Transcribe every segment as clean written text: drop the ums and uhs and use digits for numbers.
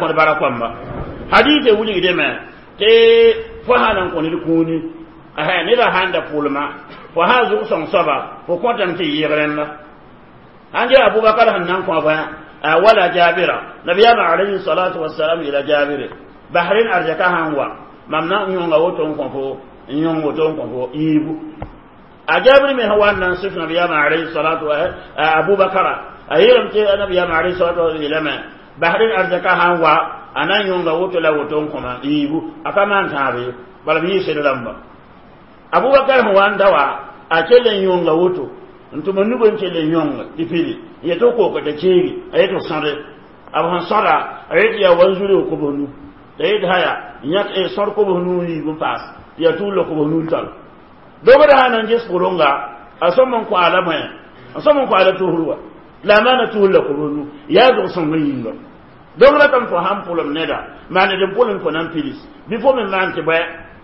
kõd bara kõmba hadise wilgdame tɩ fo sã n kõ ned kũuni neda sãn da pʋlma fo sã zʋg sõng soaba fo kõtame tɩ yɩɩg rẽnda sãn yaa Abubakar sẽn na n kõ fo wala Jabira nabiyaamã alayhi salatu wasalam yeela Jabire basrẽn arzɛka sãn wa mam na n yõnga woto n kõ fo n yõng woto n kõ fo yiibu a Jabir me sẽn wa n na n sɩf nabiyaamã alayhi salatu Abubakara a yeelame tɩ nabiyaamã alayhi salatu wasalam yeelame basrẽn arzɛka sãn wa a na n yõnga woto la woto n kõma yiibu a ka maan tãab ye bala b yɩ sed rãmba Abubakar sẽn wa n da wa a kell n yõnga woto n tʋm n nug n kell n yõng tɩ pili n yet f kook t'a keegi a yet f sõde b sẽn sõda a yet yaa wa n zuri f kobs nu t'a yet haya yãk sõd kobs nuu yiib n paas tɩ yaa tulla kobs nuu tall dogd sã na n ges pʋrʋnga a sõm n kõ a la bõe a sõm n kõ a la tusr wa la a maana tusr la kobs nu yaa zʋg-sõng yĩnga donc ratame fo sãn pʋlem neda maan d n pʋlem fo na n pids bɩ fo me maan tɩ bõe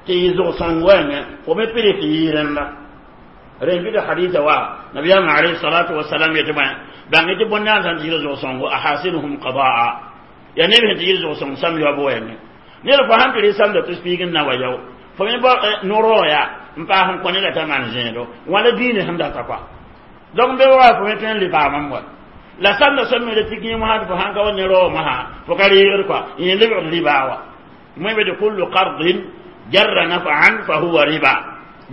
tɩ yɩ zʋg-sõng wɛɛngẽ fo me pids tɩ yɩ rẽnda rẽn bɩ hadisa wa nabiyaamã alayhi salatu wasalam yetɩ bõe bãng tɩ bõn-naam sãn tɩ yɩl zʋg-sõngo ahasinuhum qadaa yaa neb sẽn tɩ yɩl zʋg-sõng sam yaob wɛɛngẽ ned fo sãn tɩ rɩ samda tɩ piig n na wa yao fo me no-raoog yaa n paas n kõ neda t'a maan zẽedo wãna diine sẽn data kɔa donc be wa fo me tõe n le paamam wa la samda sõm me tɩ kẽ mosã tɩ fo sãn ka wa ne raoog mosã fo ka reegd kɔa yẽ lebgd ribaa wa moe be tɩ kullu qardin jarra naf'an fa huwa riba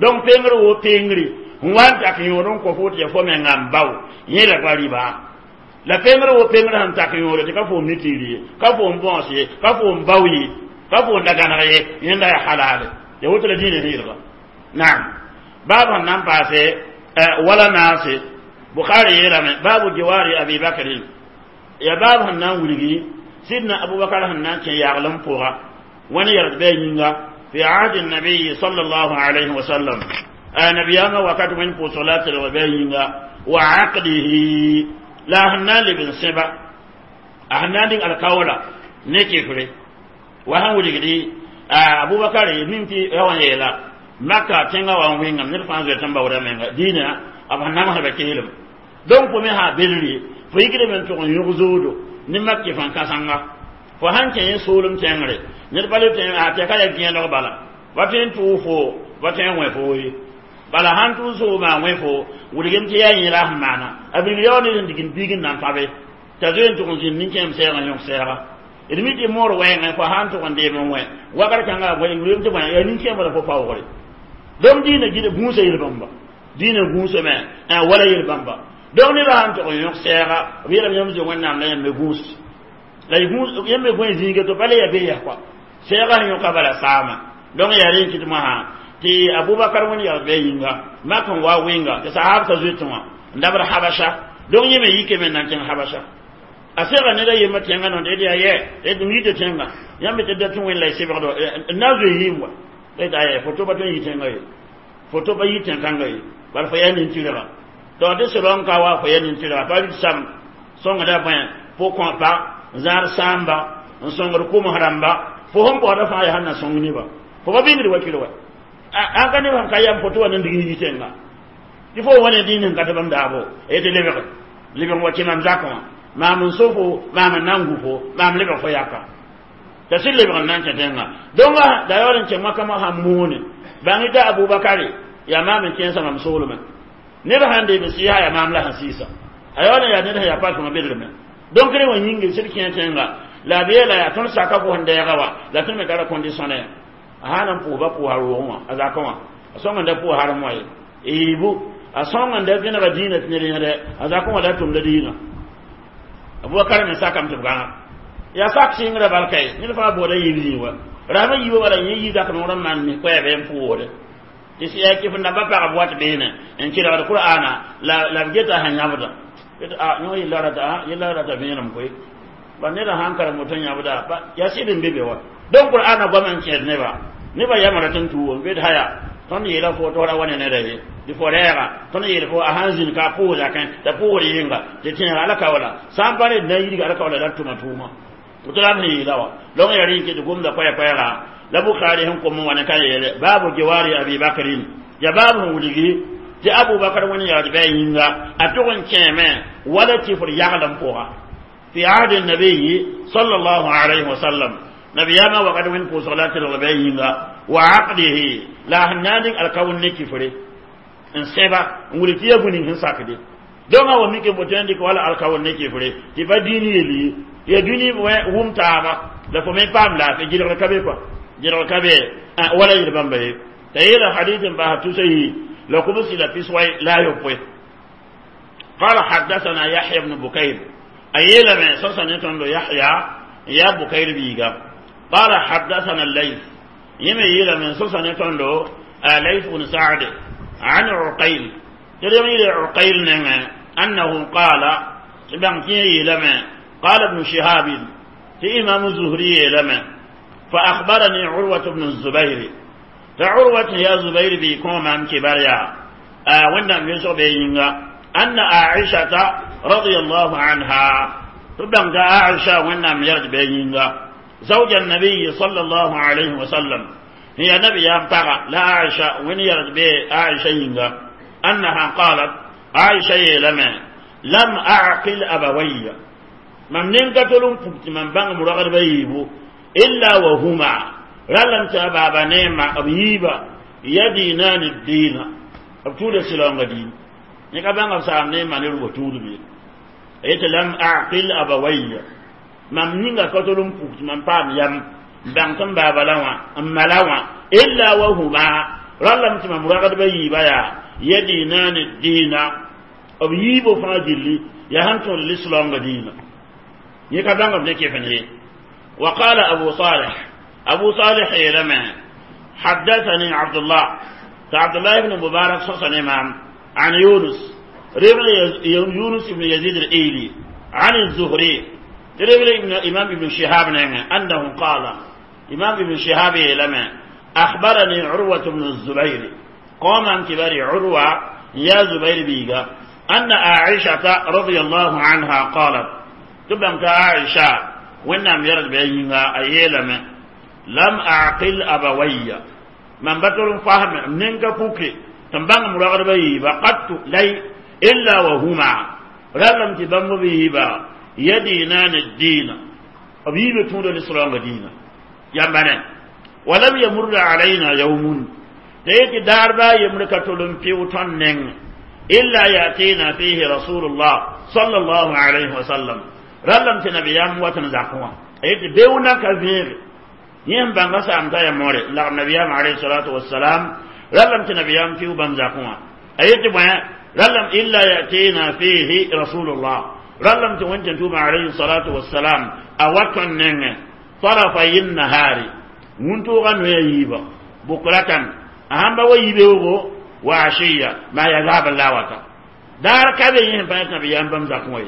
donc pengr wo pengre n wa n tak yõod n kõ fo tɩ ya fo menga n bao yẽla pa riba la pengr wo pengr sẽn tak yõode tɩ ka foom ne tiir ye ka foom bõos ye ka foom bao ye ka foom da gãneg ye yẽnda yaa halale ya woto la dĩinã sẽn yelga naam baab sẽn na n paase wala naase Bukhari yeelame baabu jiwari Abi Bakrin ya baab sẽn na n wilgi sidna Abubakar sẽn na n kẽ yaglem pʋga wãn yɛgd bɩ a yĩnga fi ahdi nabiyi sallallahu alayhi wa sallam nabiyama wakat wẽnd pʋʋsg la a telg bɩ a yĩnga wa aqdihi la a sẽn na n leb n sẽba a sẽn na n dɩng alkaoola ne kɩfre wa sẽn wilgdi Abubakar mim tɩ ya wa n yeela Maka tẽngã wa n wẽngame ned fãa zoet n baooda menga dĩinã b sẽn namsda keelem donc fo me sã belre fo yikdame n tʋg n yõg zoodo ne mak kɩf n kãsenga fo sãn kẽ yẽ soolem tẽngre ned pa le tẽ a tɩ ka yaa gẽeneg bala pa tõe n tʋʋg fo pa tõe n wẽ foo ye bala sãn tʋʋg soolmã wẽ fo wilgem tɩ yaa yẽ la sẽn maana a bilg yaoor ned sẽn dig n biig n na n pabe t'a zoe n tʋg n zĩnd nin-kẽem sɛɛg n yõk sɛɛga d mi tɩ moor wɛɛngẽ fo sãn tʋg n deem n wẽ wakat kãnga wilgem tɩ bõe yaa nin-kẽem la fo paoogre donc dĩinã gɩd gũusa yel-bãmba dĩinã gũusame wala yel-bãmba donc ned sãn tʋg n yõk sɛɛga b yeelame yãmb zoe Wẽnnaam la yãmb me gũus la yãmb me gõe zĩiga to pa le yaa be yaa kɔa sɛɛga sẽn yõka bala saama donc yaa rẽ kɩt mosã tɩ Abubakar wẽnd yagd bɩ a yĩnga mak n wa wɩnga tɩ sahab t'a zoetẽ wã n dabd Habasha donc yẽ me yike me n na n kẽng Habasha a sega ned a yembã tẽngã nõ tɩ d yaa yɛ d yita tẽngã yãmb tɩ da tɩ wẽnd la y sebgdo n na n zoe yɩɩm wa d aya foto pa tõe n yɩ tẽngã ye foto pa yɩ tẽn-kãngã ye bala fo yaa nin-tɩrga donc tɩ sɩd n ka wa fo yaa nin-tɩrga pa rɩt sam sõngda bõe pʋ-kõpa n zãad sãamba n sõngd kʋms rãmba fo sẽn baooda fãa yaa sẽn na sõng neba fo pa bĩngd wakɩr wa an ka neb sẽn ka yam foto wa n dig n yɩ tẽnga tɩ fo wa ne dĩin sẽn ka tɩ bãmb daabo tɩ lebg lebg wa kẽ mam zakẽ wã maam n so fo maam n na n gu fo maam lebg fo yaka t'a sɩd lebg n na n kẽ tẽngã donc da yaool n kẽ makã sãn moone bãng t'a Abubakare yaa maam n kẽensã mam soolmẽ ned sãn deem n sɩɩsa yaa maam la sẽn sɩɩsa a yaool n yaa ned sẽn yaa pasmã bedrmẽ donc rẽ wã yĩnge sɩd kẽ tẽnga la b yeela yaa tõnd saka fo sẽn dɛɛga wa la tõnd me tara condition a sãn n pʋʋsba pʋʋsa roogẽ wã a zakẽ wã a sõng n da pʋʋs harem wã ye yiibu a sõng n da vẽnega dĩinã tɩ ned yẽde a zakẽ wã la tʋmda dĩinã Abubakar me sakame tɩ b gãnga yaa sak sɩngrã bal kae ned fãa booda yiib zĩig wa rasmã yiibã wala yẽ yi zak noor n maan mis koɛɛb n pʋʋsde tɩ yaa kɩf n dãmbã pagb wat beene n kelgd Qur'ana la b geta sẽn yãbda yõ yella rata vẽenem koe ba neda sãn karem woto yãbda yaa sɩd n be be wa donc Qur'ana goam n kẽed neba neba yamra tɩ n tuum bed haya tõnd yeela fo tɩ ra wa ne neda ye tɩ fo rɛɛga tõnd yeel fo a sãn zĩnd ka a pʋʋs zakẽ t'a pʋʋsd yɩnga tɩ tẽega alakaoola sã n pa ned na n yidga alakaoola la d tʋma tʋʋma woto la b sẽn yeela wa donc yaa rẽ n ket gomda koɛ-koɛɛga la Bukhari sẽn kom n wa ne ka yeele baabu jiwari Abi Bakrin ya baab sẽn wilgi tɩ Abubakar wẽnd yagd bɩ a yĩnga a tʋg n kẽeme wala tɩ fd yaglem pʋga في عهد النبي صلى الله عليه وسلم نبياما وقد وين بوصلات الغبينغا وعقده لا هنادك الكون نكفري ان سبا ولتي يبني هن ساكدي دونga wa mike botendi ko wala alkawon ne kifre ti ba dini yeli ya dini wum taaba la fo men pam la fe jidor kabe quoi jidor kabe wala yir bamba ye tayira hadithin ba tu sai la kubsi la fiswai la yopwe. قال حدثنا يحيى بن بكير أيلا من سوسن يتندو يحيى يا بكير بيغا. قال حدثنا الليث يمي يلا من سوسن يتندو ليث بن سعد عن عقيل تريم عقيل أنه قال بانكي لما قال ابن شهاب في إمام الزهري لما فأخبرني عروة بن الزبير فعروة يا زبير بيكون من كباريا وانا يسوع بينغا أن عائشة رضي الله عنها تبدأ عائشة وانا يرد بينغا زوج النبي صلى الله عليه وسلم هي نبي ينطغى لا عائشة وين يرد بي عائشة ينغا أنها قالت عائشة لما لم أعقل أبوي من ننكتلون فكت من بان مرغر بيبو إلا وهما رلم تبابا نيما أبيبا يدينان الدين أبتول سلام دين نكا بان أبسام نيما نرغو تول بي إيت لم أعقل أبوي من ننكتلون فكت من بان يم بان تم بابا لوا أما لوا إلا وهما رلم تبابا مرغر بيبا يدينان الدين أبيبو فاجلي يهنتون الإسلام دينا يكبان قبل كيف نهي. وقال أبو صالح أبو صالح لما حدثني عبد الله عبد الله بن مبارك صلى إمام عن يونس ربل يونس بن يزيد الإيلي عن الزهري ربل ابن إمام ابن شهاب أنه قال إمام ابن شهاب لما أخبرني عروة بن الزبير قام كبار عروة يا زبير بيغا أن عائشة رضي الله عنها قالت تبقى عائشة وإنهم يرد بينها أيلم لم أعقل أبوي من بطل فهم منك فوكي تنبغ مراغب بقدت لي إلا وهما رلم تبم به يدينان الدين أبيب تون الإسلام دين يا ولم يمر علينا يوم تيجي داربا يملك تلم في إلا يأتينا فيه رسول الله صلى الله عليه وسلم رلم تنبيام وتنزعكوا أيت بيونا كثير يم بانغسا أمتا يموري لا نبيام عليه الصلاة والسلام رلم تنبيام فيه بانزعكوا أيت بيا رلم إلا يأتينا فيه رسول الله رلم تونتم عليه الصلاة والسلام أوتن طرفي النهار منتو غنو ييبا بكرة أهم بويبه وعشية ما يذهب الله دار كذا يهم بيت نبيام بمزعكوا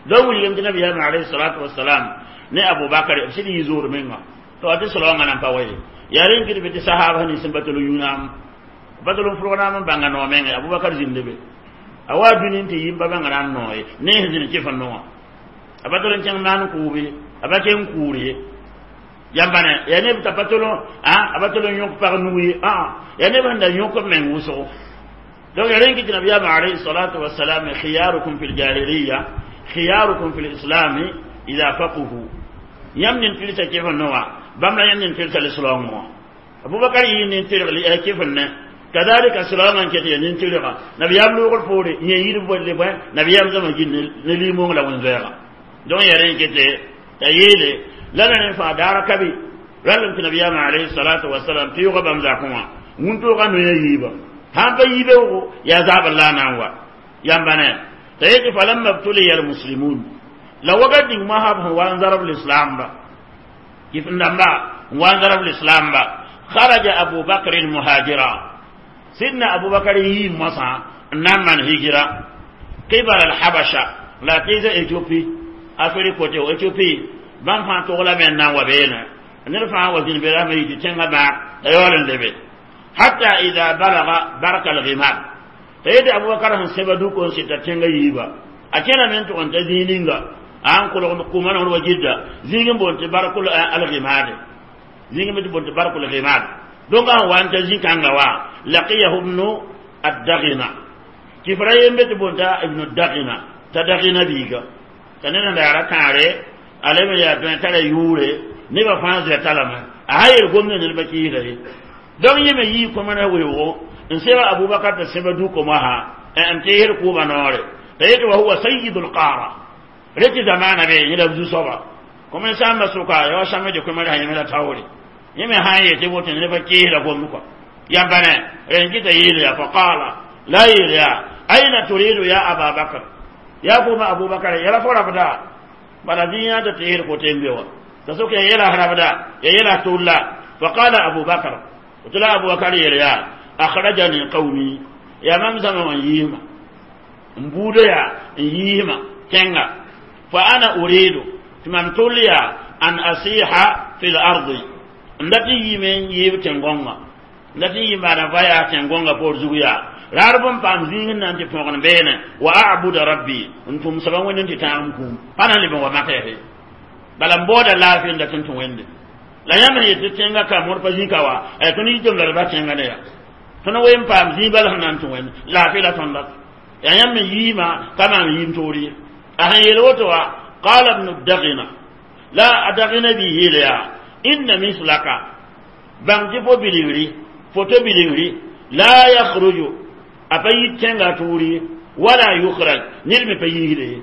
لو يمكن نبي عليه الصلاة والسلام ne Abu Bakar sidi yizur menga to ati sallallahu alaihi wasallam yarin kidi biti sahaba ni simbatulu yunam batulu furona banga no menga Abu Bakar zindebe awa dunin ti yimba banga ran noye ne hizin ke fanno abatulu chang man kubi abake nkuri yambane yani bitabatulu ah abatulu nyok par nuyi ah yani banda nyok men wuso donc yarin kidi nabi alayhi salatu wassalam khiyarukum fil jahiliyya khiyarukum fil islam idha faquhu yamnin tilsa kayfa nawa bamla yamnin tilsa l'islam Abu Bakar yin tilsa kayfa ne kadhalika islaman kete yin tilsa nabi yamlu qul furi yin yir bolle ba nabi yam zama jin ne limo la won zera don yaren kete tayele lana fa darakabi ralam nabi yam alayhi salatu wassalam fi gabam zakuma muntu kanu yiba hamba yibe ya zaba lana wa yambane tayete falamma ibtuliya almuslimun la wagadi ma hab wa zarab alislam ba kifndamba wa zarab alislam ba kharaja abu bakr almuhajira sidna abu bakr yi masa naman hijra qibala alhabasha la tiza ethiopie afrique te ethiopie ban fa to la men na wa bena nirfa wa zin bela mi tenga ba ayolan lebe hatta idha balagha baraka alghimam tayede abu bakr han sebadu ko sita tenga yiba akena men to on tazininga an ko ko man on wajidda zingin bonte barakul alghimad zingin bonte barakul ghimad donc an wan tazin kanga wa laqiyahu ibn ad-daghina kifrayen bet bonta ibn ad-daghina tadaghina biga T'a ned n daara kãare a leb n yaa dõe tara yʋʋre nebã fãa zoɛta lame a sã yeel gomdã ned pa kɩɩsda ye donc yẽ me yii kõmẽnã weoogo n seba Abubakar tɩ sẽba du-komã sã n teesd kʋʋmã noore t'a yetɩ wa huwa sayidul qara rẽ tɩ zamaana be yẽ la b zu-soaba kõmen sãambã sʋka ya wa sãmb tɩ kõmẽrã yẽme la taoore yẽ me sã n yetɩ woto ned pa kɩɩsda gomd kɔ yãmba ne rẽn kɩta yeel yaa fa qaala la yeel yaa aina turidu ya aba Bakr ya fo ma Abubakar yala fo rabda bala zĩyã tɩ teesd kote n be wa t'a sok ya yɛla rabda ya yɛla tulla fa qala Abu Bakr tɩ la Abu Bakr yeel yaa akhrajani qawmi ya mam zãma wã n yiisma n buuda yaa n yiisma kẽnga fa ana uridu tɩ mam tʋl yaa an asiha fi l ardi n dat n yiime n yiib tẽn-gõngã n dat n yɩ maana va yaa tẽn-gõngã poor zug yaa raar bõn paam zĩig n na n tɩ põgen beene wa abuda rabbi n tʋm soaba Wẽnd n tɩ tãag m kũum pa na n leb n wa makɛɛse bala n baooda laafɩ n dat n tũ Wẽnde la yãmb sẽn yetɩ tẽngã ka mõr pa zĩ ka wa tõnd yitame la d ba tẽngã ne yaa tõnd wen paam zĩig bal sẽn na n tũ Wẽnd laafɩ la tõnd dat yaa yãmb me yiimã ka maam yiim toor ye a sẽn yeel woto wa qala ibnu dagina la a dagina bɩ yeel yaa inna mislaka bãng tɩ fo bilgri foto bilgri la yakhruju a pa yit tẽngã tʋʋr ye wala yukhraj ned me pa yiisde ye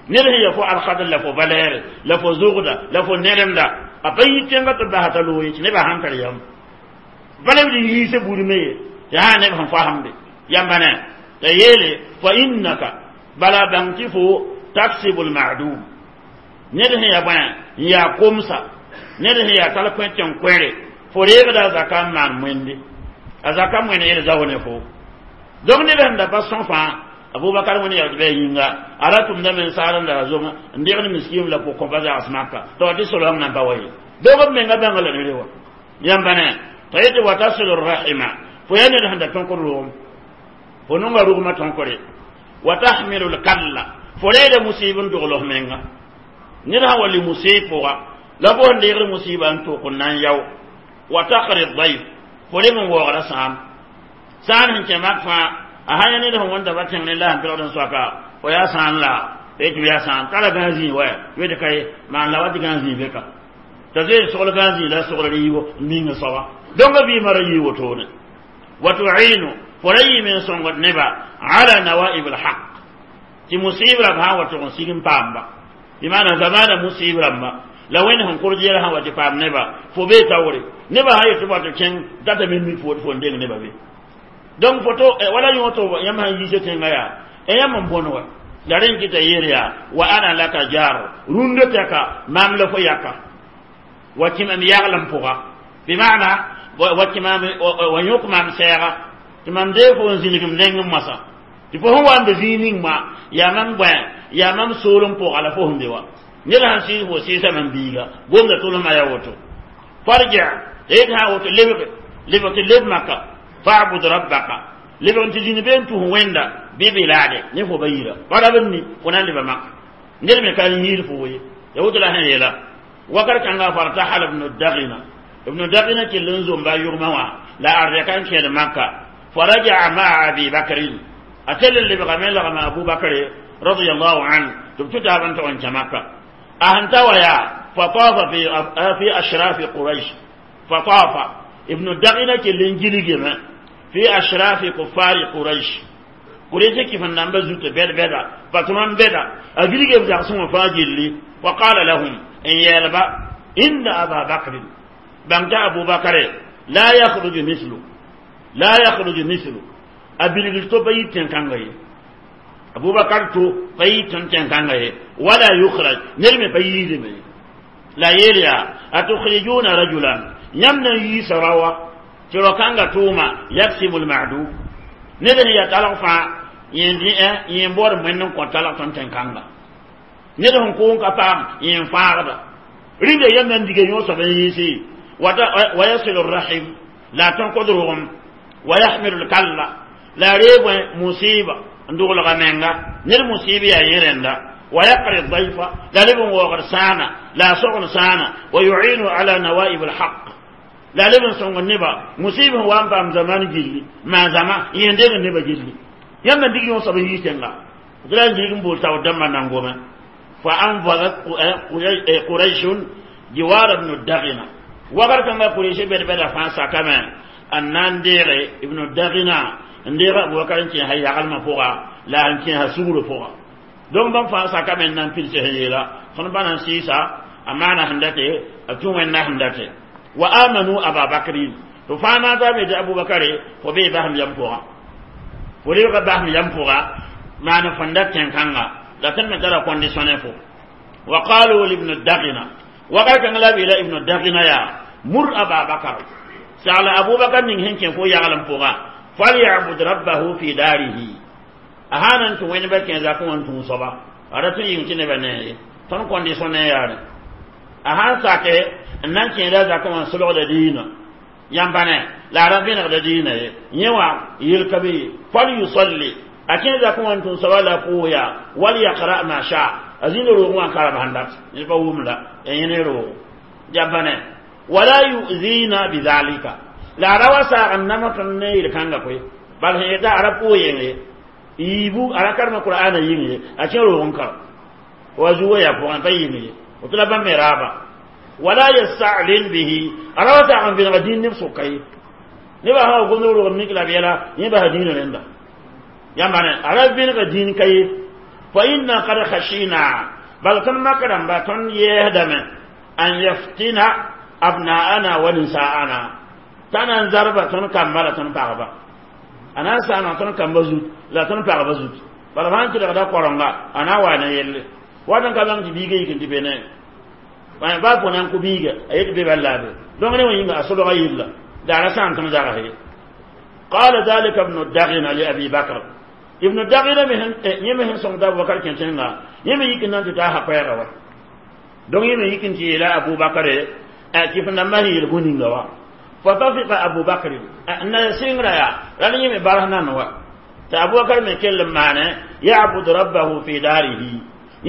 ned sẽn ya fo alkadr la fo valɛɛre la fo zʋgda la fo nɛremda a pa yit tẽngã tɩ basa t'a loog ye tɩ nebã sãn tar yam valeb d yiise buud me ye tɩ sã neb sẽn fasemde yãmba ne t'a yeele fa innaka bala bãng tɩ fo taksibu lmadum ned sẽn ya bõe n yaa komsa ned sẽn yaa tall kõ tẽn koɛre fo reegda a zaka n maan wẽnde a zaka wẽnd yel zao ne fo donc neb sẽn da pa sõ fãa Abubakar wẽnd yagd bɩ a yĩnga a ra tʋmdame n saar n da zong n degd miskim la pʋg-kõpa zags maka tɩ wa tɩ soleng nan pa wa ye donc b menga bãnga la nere wa yãmba ne t'a yetɩ wa tasilu rahima fo yaa ned sẽn da tõk rʋgem fo nonga rʋgmã tõkre wa tahmilu lkalla fo reeda musib n dogl f menga ned sã wa li musib pʋga la fo sẽn deegd musiba n tʋk n na n yao wa taqri dayf fo leb n waoogda sãam sãan sẽn kẽ mak fãa a sã yã ned sẽn wẽnda ba tẽng ne la sẽn pɩgd n soaka fo yaa sãan la tɩ yaa sãan tara gã zĩig wa wed ka ye maan la wa tɩ gã zĩig be ka t'a zoe sogl gã zĩig la sogl yiibo n ming soaba donc vɩɩmã ra yii wotone wa tuinu fo ra yɩɩme n sõngd neba ala nawaib lhaq tɩ musib rãmb sã n wa tʋg n sig n paamba bɩ maana zamaana musib rãmba la wẽnd sẽn kʋrd yɛl sã wa tɩ paam neba fo bee taoore nebã sã yetɩ wa tɩ kẽng datame mi fo fo n deng nebã be donc foto wala yõ to yãmb sãn yiise tẽngã yaa yãmb n bõn wa la rẽ n kɩta yeel yaa wa ana laka jaaro rũndã tɛka maam la fo yaka wa kɩ mam yaglem pʋga bɩ maana wa kɩ maam wa yõk maam sɛɛga tɩ mam dee fo n zĩnigm neng n moasã tɩ fo sẽn wa n be zĩig ning ma yaa mam bõe yaa mam soolem pʋga la fo sẽn be wa ned sãn sɩɩs fo sɩɩsa mam biiga gomda tʋlsmã yaa woto farji yet sã woto lebge lebg tɩ leb maka fa'bud rabbaka lebg n tɩ zĩnd be n tus wẽnda bɩ bilaade ne fo ba yira pa rab n ni fo na n leba maka ned me ka n yiid fo ye ya woto la sẽn yeela wakat kãnga fartahala ibnu dagina ibnu dagina kell n zomba a yʋgmã wã la ardɛka n kẽed maka faraja'a maa abi bakrin a tell n lebgame lagma Abu Bakr radiallahu anhu tɩ b tʋ taab n tog n kẽ maka a sẽn ta wa yaa fatafa fi ashrafi Quraish fatafa ibnu dagina kell n gilgame fi ashrafi kuffari Quraish Quraish kɩf n namba zutã bɛd-bɛda patron bɛda a gilge b zagsẽ wã fãa gilli fa qala lahum n yeelba inna aba bakrin bãng t'a Abu Bakre la yakhruju mislu la yakhruju mislu a bilgl to pa yit tẽn-kãnga ye Abubakar to pa yit tõnd tẽn-kãnga ye wala yukhraj ned me pa yiisdame ye la yeel yaa atukhrijuna rajulan yãmb na n yiisa raowa tɩ rao-kãngã tʋʋma yaksibu lmadum ned sẽn yaa talg fãa yẽ n baood wẽnd n kõ talg tõnd tẽn-kãnga ned sẽn kʋʋn ka paam yẽ n fãagda rĩnda yãmb na n diga yõ soab n yiisi wa yasilu rahim la tõn kod rogem wa yahmilu lkalla la reeg musiba n doglga menga ned musib yaa yẽ rẽnda wa yaqri dayfa la leb n waoogd sãana la a sogn sãana wa yuinu ala nawaib lhaq la leb n sõng neba musib sẽn wa n paam zaman gilli maan zãma yẽ n deng neba gilli yãmb na dig yõ soab n yiis tẽnga tɩ la n gilg n bool taoor dãmbã nan gome فأنفذت قريش جوار ابن الدغنة وقال كما قريش بد بد فانسا كما أنان ديغي ابن الدغنة نديغ أبو بكر كي هي يغلم فوقا لا كي هسور فوقا دونك بان فانسا كما نان بيل سهيلا فن بان سيسا أمانة هندتي أتوم هندتي وآمنوا أبا بكر فانا ذا أبو بكر فبي بهم يمفوغا فليغ بهم يمفوغا ما نفندت كانغا لكن من ترى كونديسيوني فو وقالوا لابن الدغنة وقال كان لا إلى ابن الدغنة يا مر أبا بكر سأل أبو بكر من هنك فو يعلم فوغا فليعبد ربه في داره أهانا أنتم وين بكين ذاكم أنتم صبا أردت يمكن بني تون كونديسيوني يا أهان ساكي أنك إذا ذاكم سلوك دينا ينبني لا ربنا دينا يوا يلكبي فليصلي أكين ذاكم أنتم صبا لا فويا وليقرأ ما شاء أزين روغوان كارب هندات يبقى لا يعني روغ جنبني ولا يؤذينا بذلك لا روسا أنما تنير كانغا كوي بل هي دا عرب كوي يبو على كرم القرآن يني أكين روغون كار وزوا يا فوان بيني وطلب مرابا ولا يستعلن به روسا عن بين دين نفسه كي نبا هو قلنا روغ منك لا بيلا يبا دين لندا يا معنى عرب بين دين كي فإنا قد خشينا بل كما كرم باتون يهدم أن يفتن أبناءنا ونساءنا تانا زربة تون كمبالة تون بغبا أنا سانا تون كمبزوت لا تون بغبزوت بل فان تلقى دا قرنغا أنا وانا يلي وانا كبان تبيغي يكن تبيني وانا بابو نانكو بيغي أيك بيبالابي دونغ نيو ينغ أصلو غيلا دارا سان تون زرغي قال ذلك ابن الدغن لأبي بكر ابن الدغن مهن يمهن سون دا بكر كنتينغا يمه يكن نانتي تا حقيرا وا دونغ يمه يكن تي لا أبو بكر كيف نما هي الغنينغا وا فطفق أبو بكر أن سينغرا يا لأن يمه بارهنا نوا تا أبو بكر من كل معنى يعبد ربه في داره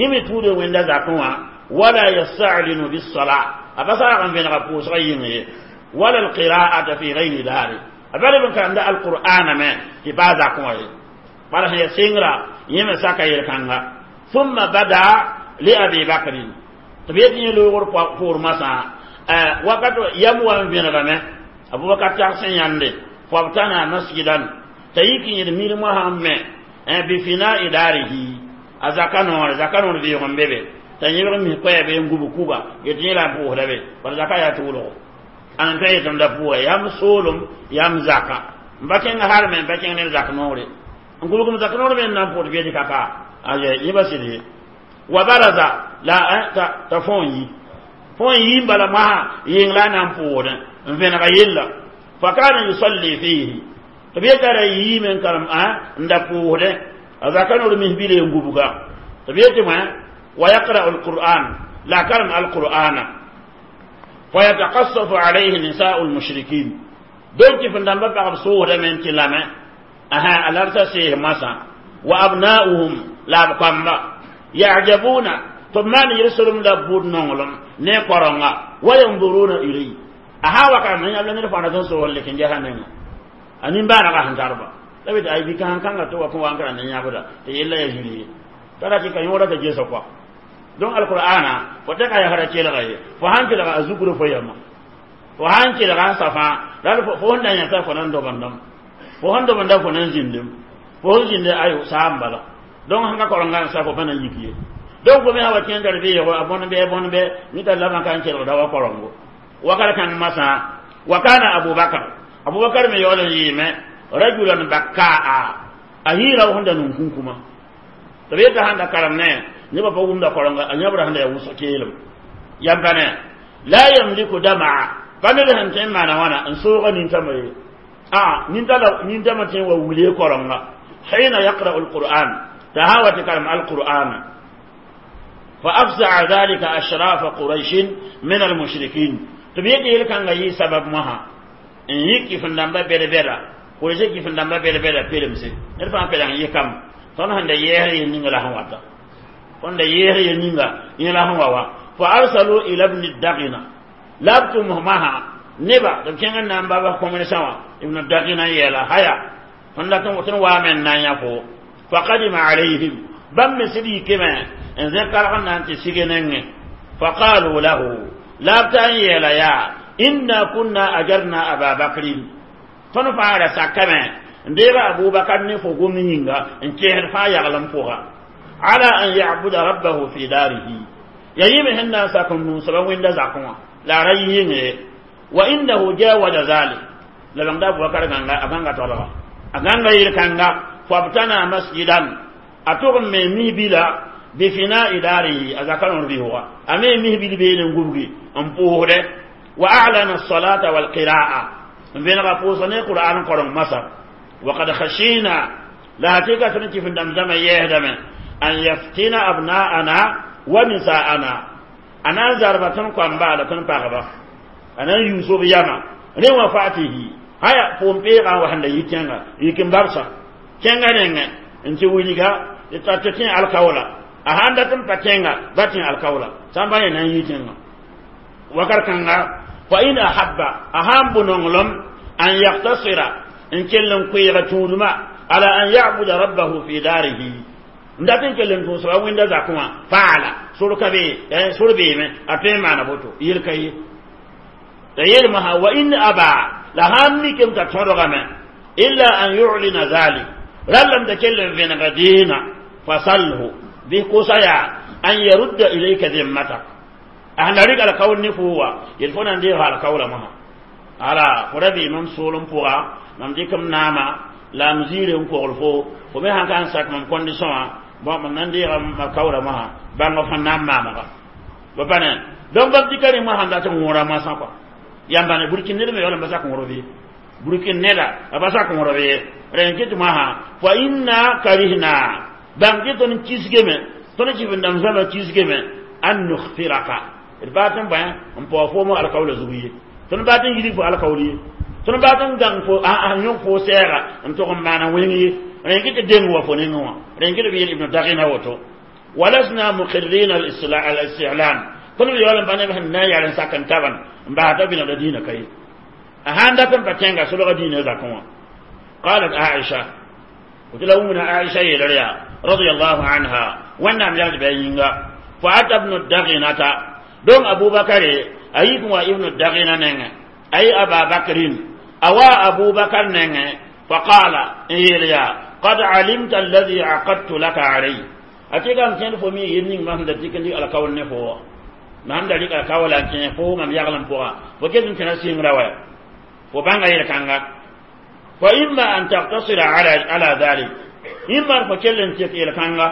يمه تود وين ذاكوا ولا يستعلن بالصلاة أبصر عن بين غفوس غيره ولا القراءة في غير داره أبالي بن كان القرآن ما تبا ذاكوا بل هي سينغرا يمه ساكا يركانغا ثم بدا لأبي بكر تبيتني لوغور فور مسا وقت يمو بين غمه أبو بكر تحسن ياندي فابتنى مسجدا تيكي يرميل مهمة بفناء داره أزكانور زكانور بيهم بيبي تنيبر مي كوي بي نغوبو كوبا يتني لا بو هدبي بل زكا يا تولو أن تي تندفو يام سولم يام زكا مباكين هارمن باكين نير زكنوري نقولكم زكنوري بين نامبوت بيدي كاكا أجي يبسيدي وبرز لا تفوني فون بلا ما ينلا نامبوت فين غيلا فكان يصلي فيه تبيتر يمن كرم ندفوه أذا من بيلي ينغوبوكا تبيتر ما ويقرأ القرآن لا كرم القرآن فيتقصف عليه نساء المشركين دونك فندم بقى بصورة من تلامة أها الأرث سيه مسا وأبناؤهم لا بقام يعجبون ثم يرسلهم لبود نونلم نقرنا وينظرون إليه أها وكان من يبلغ نرفع نتنسوا لكن جهنم أنين بانا قاهن تربا لابد أي بكان كان تو كون وانكرا نيابدا تيلا يجري ترى كي كان يورا تجيسا كوا دون القرآن فتك يا هرا كيلا غي فهان كيلا أزكر فيما فهان كيلا صفا لا فهون دان يتا فنان دو بندم فهون دو بندم فنان زندم فهون زند أيو سام بلا دون هنگا كورنغان سافو فنان يكيه دون كومي هوا كين دربي يو أبون بي أبون بي نيتا لما كان كيلا دوا كورنغو وكان كان مسا وكان أبو بكر أبو بكر مي يولن يمه رجلا بكاء أهيرا وهندا نونكوما تبيتا هندا كرمنا نبا فوغم دا كورنغا أنيبرا هندا يوسو كيلم يمبنا لا يملك دمع فنل هنتين معنا وانا انسوغا ننتمي ننتمي تين وولي كورنغا حين يقرأ القرآن تهاوت كلام القرآن فأفزع ذلك أشراف قريش من المشركين تبيتي يلكان غي سبب مها إن يكي فندamba bere bera قريش كي فندamba bere bera pelemse نرفع pelan يكم tõnd sẽn da yɛɛs yel ninga la sẽn wata tõnd da yɛɛs yel ninga yẽ la sẽn wa wa fa arsalu ila ibn dagina la b tʋms masã neba tɩ b kẽng n na n baba kõmensã wã ibn dagina yeela haya tõnd dat tõnd waame n na n yã fo faqadima alayhim bãmb me sɩd yikame N zẽk karg n na n tɩ sig nengẽ. Faqalu lahu, la b ta n yeela yaa: inna kunna ajarna aba bakrin, tõnd fãa ra sakame n deega Abubakar ne fo gom yĩnga n kẽesd fãa yaglem pʋga, ala an yabuda rabbahu fi darihi, ya yɩme sẽn na n sak n nũusba wẽnda zakẽ wã la a ra yɩ yĩnge. Wa innahu jawaza zalik, la bãngda Abubakar gãnga, a gãnga tolga, a gãnga yel-kãnga. Fabtana masjidan, a tʋg n me misbila bifina'i darihi, a zaka rõor bisga, a me misbil beene n gubgi n pʋʋsdɛ. Wa a'lana الصلاة والقراءة, n vẽnega pʋʋsg ne Qur'an koreng masar. وقد خشينا, la hakika tõnd tɩ f dãmb zãma yɛɛsdame, an yaftina abna'ana wa nisa'ana, a na n zarba tõnd koamba la tõnd pagba, a na n yuus b yama rẽ wã fatihi haya pʋʋm peegã n wa sẽn da yi kẽnga yik n babsa kẽnga nengẽ n tɩ wilga tɩ tẽ alkaoola. A sãn dat n pa kẽnga ba tẽ alkaoola sã n pa yẽ na n yi tẽngã wakat kãnga. Fa in ahabba, a sãn bʋ nonglem, an yaktasira, n kell n koeega tũudmã, ala an yabuda rabbahu fi darihi, n dat n kell n tũusba wẽnda zakẽ wã, faala sor ka be, sor beeme, a tõe n maana boto yel ka ye. T'a yeelmã wa in aba, la sãn mikame t'a tõdgame, illa an yulina zalik, rallame t'a kell n vẽnega dĩinã, fasalhu bɩ kosa yaa an yarudda ilayka zimmatak, a sẽn la rɩk alkaool ne foo wa yel fo na n deeg alkaoola mosã. Ala fo ra bee mam soolem pʋga, mam dɩk m naama la m ziire n kogl fo, fo me sãn ka n sak mam condition wã, bon, mam na n deega m alkaoola mosã, bãng f sẽn na n maamga ba pa ne. Donc bãmb dɩka rẽ mosã n dat n wõora moasã kɔa yãmba ne burkin ned me yaool n ba sak wõrb ye, burkin neda a ba sak wõrb ye. Rẽ n kɩt mosã fa inna karihna, bãng tɩ tõnd kisgame, tõnd tɩ f n dãmb zãma kisgame, an nukhfiraka, d baa tɩ n bõe n paoog foom alkaoola zug ye, tõnd baa tɩ n yidg fo alkaool ye, tõnd baa tɩ n gãng fo n yõk fo sɛɛga n tog n maana wẽng ye. Rẽ n kɩ tɩ deng wa fo nengẽ wã, rẽ n kɩ tɩ b yeel Ibnu Dagina woto: walasna muqirrina al-isti'lan, tõnd b yaool n pa neb sẽn na n yal n sak n taban n bas t'a bĩnamda dĩinã ka ye, a sãn dat n pa kẽnga solga dĩinã zakẽ wã. Qalat Aisha, tɩ la wũmna Aisha yeelr yaa radiallahu anha, Wẽnnaam yagd bɩ a yĩnga: fa ata Ibnu Daginata, donc Abubakare a yik n wa Ibnu Dagina nengẽ, ay Aba Bakrin, a wa Abubakar nengẽ, faqala, n yeel yaa: qad alimta alladhi aqadtu laka alayh, a tɩ m kẽnd fo mi yel ning mam sẽn da tɩk n dɩk alkaool ne fo wã, mam da rɩk alkaoola n kẽ fo mam yaglem pʋga, fo ket n tẽna sɩngrã wa fo bãnga yel-kãnga. Fa imma an taktasira ala dhalik, imma fo kell n tek yel-kãnga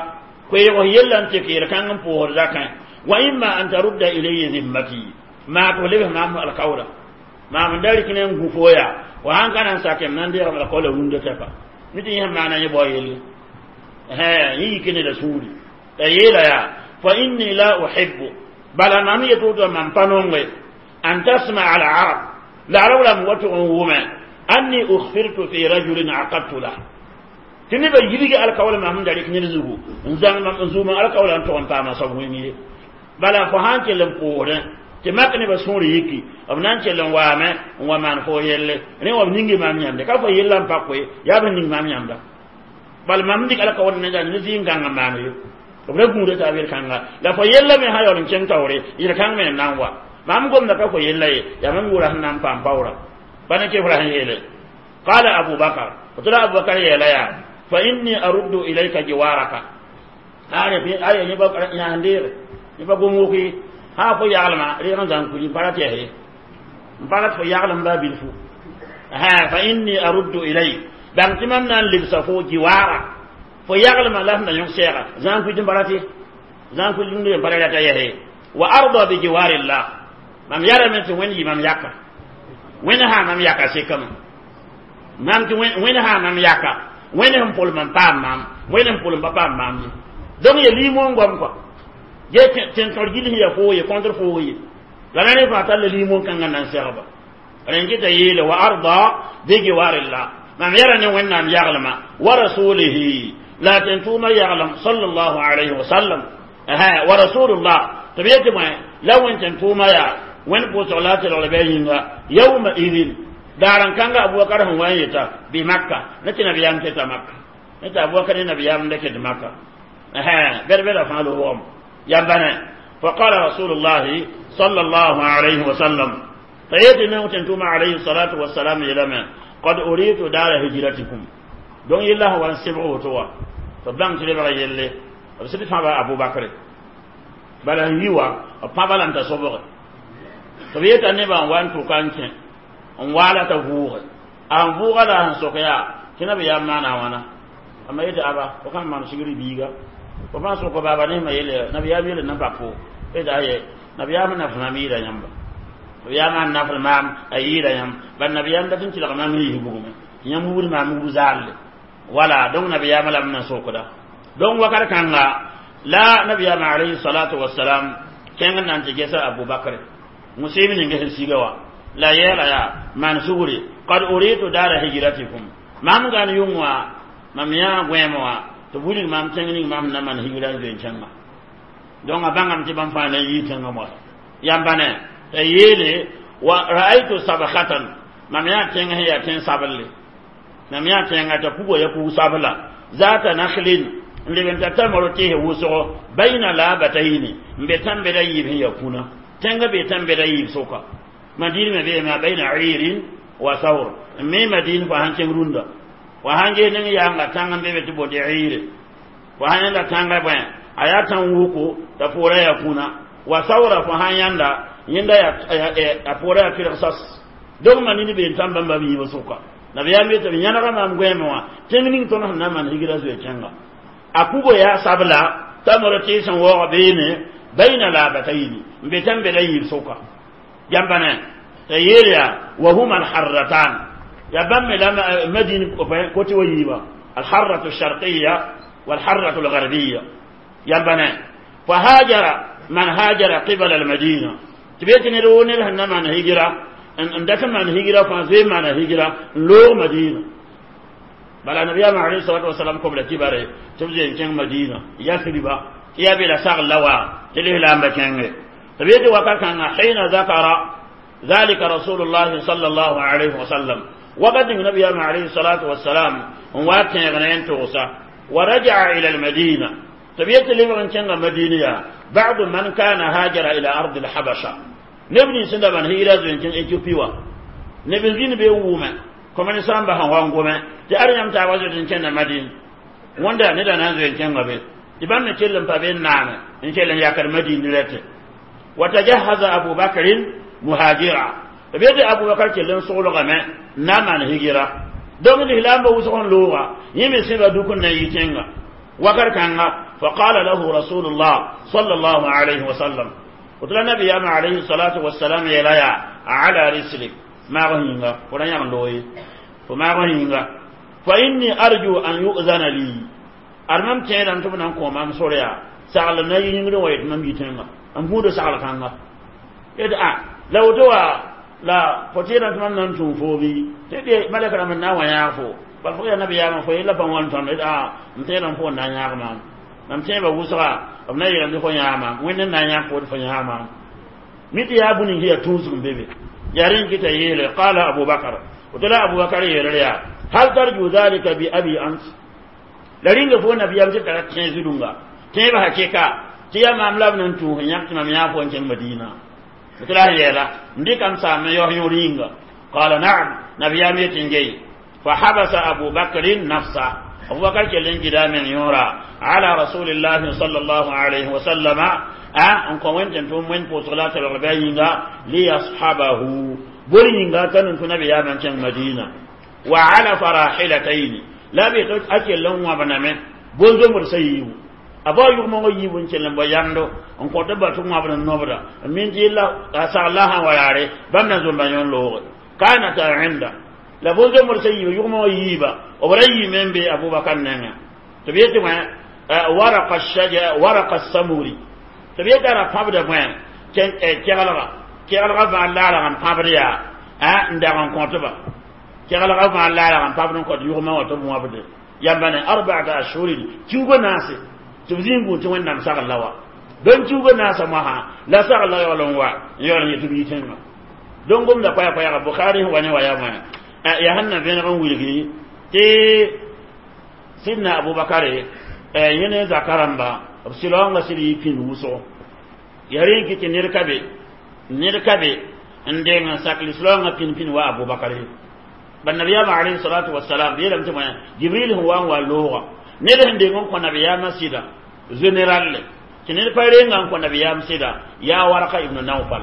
koeeg yella n tek yel-kãng n pʋʋsd zakẽ, wa imma an tarudda ilayya zimmati, maa tɩ fo lebs maam alkaoola maam n da rɩk ne n gũ fo yaa fo sãn ka na n sakem na n deegame alkaoola rũndã tɛka mi tɩ yẽ sẽn maana yẽ bao yelle yẽ yik neda sũuri. T'a yeela yaa: fa inni la uhibbu, bala mam yet woto, mam pa nonge, an tasmaa al arab, la arab rãmb wa tʋg n wʋme, anni ukhfirtu fi rajulin aqadtu lah, tɩ nebã yilge alkaoola mam sẽn da rɩk ned zugu n zãng mam n zuumã alkaoola n tʋg n paama soab wẽng ye. Bala fo sãn kell n pʋʋsdẽ tɩ mak nebã sũur yiki, b na n kell n waame n wa maan fo yelle, rẽ wa b ningi maam yãmde ka fo yella n pa koe yaa b ning maam yãmda. Bala mam dɩk alkaool ne ne zɩ n gãng n maan ye, b ra gũuda taab yel-kãnga la fo yella me sã yaool n kẽng taoore, yel-kãng me n na n wa mam gomda ka fo yella ye, yaa mam yʋʋra sẽn na n paam paoora pa ne kefra sẽn yeele. Qala Abubakar, tɩ la Abubakar yeela yaa: fa inni aruddu ilayka jiwaraka, aya yẽba yãs deege yẽba gom woki sã fo yaglema reeg n zãng kuli n pa ra tɩ ye n pa rat fo yaglem baa bilfu. Fa inni aruddu ilayk, bãng tɩ mam na n lebsa fo jiwara, fo yaglema la sẽn na yõk sɛɛga zãng kuit n pa rat ye, zãng kuit n pa ra rata yɛse. Wa arda bi jiwarillah, mam yarame tɩ Wẽnd yɩ mam yaka, Wẽnd sã mam yaka sekame mam tɩ Wẽnd sã mam yaka, Wẽnd sẽn pʋlem n paam maam, Wẽnd sẽn pʋlem pa paam maam ye. Donc ya limon goam kɔa ye tẽn-tõr gil sẽn ya foo ye contre foo ye la na ne fãa tall limon kãngã na n segba. Rẽn kɩta yeele: wa arda bi jiwarillah, mam yara ne Wẽnnaam yaglema, wa rasulihi, la tẽn-tʋʋmã yaglem sallallahu alayhi wa sallam, wa rasulullah, tɩ b yetɩ bõe la Wẽn tẽn-tʋʋmã yaa Wẽnd pʋʋsg la a telgl bɩ a yĩnga. Yawma idin, daar n kãnga Abubakar sẽn wa n yeta bi Makka ne tɩ nabiyaam keta Makka ne tɩ Abubakar ne nabiyaam n da ket Makka. Bɛd-bɛda fãa loogame yambane. فقال رسول الله صلى الله عليه وسلم فيأتي من عليه الصلاة والسلام إلى قد أريد دار هجرتكم دون الله وان سبعه توا فبان تلبغ يلي بس أبو بكر بل هو بابا لم تصبغ فبيت النبي وان تكانك ولا تفوغ an vuuga la sẽn sok yaa tɩ nabiyaam maana wãna ama yetɩ aba fo sãn maan sigr biiga fo sãn sok baaba nesmã yelle nabiyaam yelle na bak fo tɩ aye nabiyaam nafs maam yɩɩda yãmba nabiyaam n nafl maam a yɩɩda yãmb bal nabiyaam dat n tɩlg maam yiis bugme tɩ yãmb wubd maam wub zaalle wala donc nabiyaam la m na sokda donc wakat kãnga la nabiyaam alayhi salatu wassalam kẽng n na n tɩ gesa Abubakr musɩɩb ning sẽn siga wa la yɛɛla yaa maan sugri qad uritu dara hijratikum mam gan yʋng wã mam yã gõeem wã tɩ wilg mam tẽng ning mam na maan hijra n zoe n kẽnga donc a bãngame tɩ bãmb fãa na n yii tẽngã moasã yãmba ne t'a yeele wa ra'aytu sabkhatan mam yã tẽng sẽn yaa tẽn sablle mam yã tẽnga t'a puga ya pug sabla zata nakhlin n leb n ta tamro tɩɩs wʋsgo bayna labatayni n be tãn-bɛda yiib sẽn ya kũna tẽngã be tãn-bɛda yiib sʋka madin me be ma bayna irin wa sawr me madin fa han kẽng rũndã wa sãn ges ning yaanga tãng n be be tɩ boond ire fo sãn yãnda tãngã bõe a yaa tãn wuko t'a poorã yaa kũna wa sawra fo sãn yãnda yẽnda a poorã yaa pɩlg sas donc ma nini been tãn bãmba b yiibã sʋka nabiyaam yetɩ b yãnega maam goɛɛmẽ wã tẽng ning tõnd sẽn na n maan higra zoe kẽnga a pugo yaa sabla t'a mora tɩɩs n waoog beene bayna labatayni n be tãn bɛda yiib sʋka jãmba ne t'a yeel yaa wa huma alharratan ya bãmb me la madin kote wa yiiba alharratu alsharqiya walharratu algarbiya yãmba ne fahajara man hajara qibala almadina tɩ be tɩ ned woo ned sẽn na maan higira n dat n maan higira fãa zoe n maana higira n loog madina bala nabiyaam alayhi salatu wasalam kobla kibare tɩ b zoe n kẽng madina yasriba tɩ yaa be la sagl la wa tɩ lislaambã kẽnge tɩ b yetɩ wakat kãnga حين ذكر ذلك رسول الله صلى الله عليه وسلم وقد النبي عليه الصلاة والسلام واتن توسا ورجع إلى المدينة تبيت لمن كان مدينة بعض من كان هاجر إلى أرض الحبشة نبني سنة من هي لازم كان إثيوبيا نبني زين بيوما كما نسام بها وانغوما تأريم تعوز كان مدينة وندا ندا نازل كان غبي تبان نتكلم بابين نعم إن شاء الله ياكر مدينة وتجهز أبو بكر مهاجرا بيد أبو بكر كلن سولغ ما نعم هجرة دوم الإسلام بوسخن لغة يمي سيبا دوكن نيتنغا وكر كانغا فقال له رسول الله صلى الله عليه وسلم وتلا النبي عليه الصلاة والسلام يلايا على رسلك ما غهينغا ولن يغلوي فما غهينغا فإني أرجو أن يؤذن لي أرمم تيران تبنا كومام سوريا سأل نينغ ويت مم يتنغا أم هو سأل كانغا يدعى لو دوا la fo tẽedã tɩ mam na n tũu foo bɩ tɩ de malɛk rãmb n na n wa yãag fo bal fo yaa nabiyaamã fo yella bãmb wãn tõnd a n tẽedã fo n na n yãag maam mam tẽebã wʋsga b na yeelame tɩ fo yãag maam wẽnd n na n yãag fo tɩ fo yãag maam mi tɩ yaa bũni yaa tũusg n be be yaa rẽ n kɩta yeele qala abubakar woto la abubakar yeelr yaa hal tarju dhalika bi abi ant la rĩnga fo nabiyaam tɩ tara tẽ zudunga tẽebã hakɩka tɩ yaa maam la b na n tũus n yãk tɩ mam yãag fo n kẽng madina مثل يلا نديكم سام يوهيورينغ قال نعم نبي يميتنجي فحبس أبو بكر نفسه أبو بكر كلن جدا من يورا على رسول الله صلى الله عليه وسلم أن كوين تنتم وين بوصلات الرباينغ ليصحبه بولينغ تنتم نبي يمن مدينة وعلى فراحلتين لا بيتوت أكل لهم وبنامه بولدو مرسيو a bao yʋgmongã yiib n kell n bao yamdo n kõt b ba tɩ wãbd n nobda n min tɩ yella a sagl la sã n wa yaare bãmb na zomba yõ looge kanata inda la bõn-zomd sã yiiba yʋgmongã yiiba b ra yiime n be abubakar nengẽ tɩ b yetɩ wẽ waraka samuri tɩ b yetɩ ra pãbda bõe keglga keglga vãar laalg n pãbd yaa n dag n kõtba keglga vãar laalg n pãbd n kõt yʋgmã wã tɩ b wãbde yãmba ne arbaata ashurin kiugo naase tɩ b zĩig gũud tɩ wẽnnaam sagl la wa dõn kiugo naasã moasã la sagl la yaool n wa n yaool n yetɩ b yi tẽngã dõn gomda koɛɛ-koɛɛga Bukhari sẽn wa ne wa yaa wã yaa sẽn na vẽneg n wilgi tɩ sidna Abubakare Yẽne zaka rãmba b sɩlaoongã sɩd yɩ pĩnd wʋsgo ya rẽ n kɩ tɩ ned ka be n deng n sak lislaoongã pĩnd wa Abubakar ye. Ba nabiyaamã alayhi salatu wasalam b yeelame tɩ bõe Jibril sẽn wa n wa looga ned sẽn deng n kõ nabiyaamã sɩda général le tɩ ned pa renga n kõ nabiyaam sɩda yaa Waraka ibn Nawfal.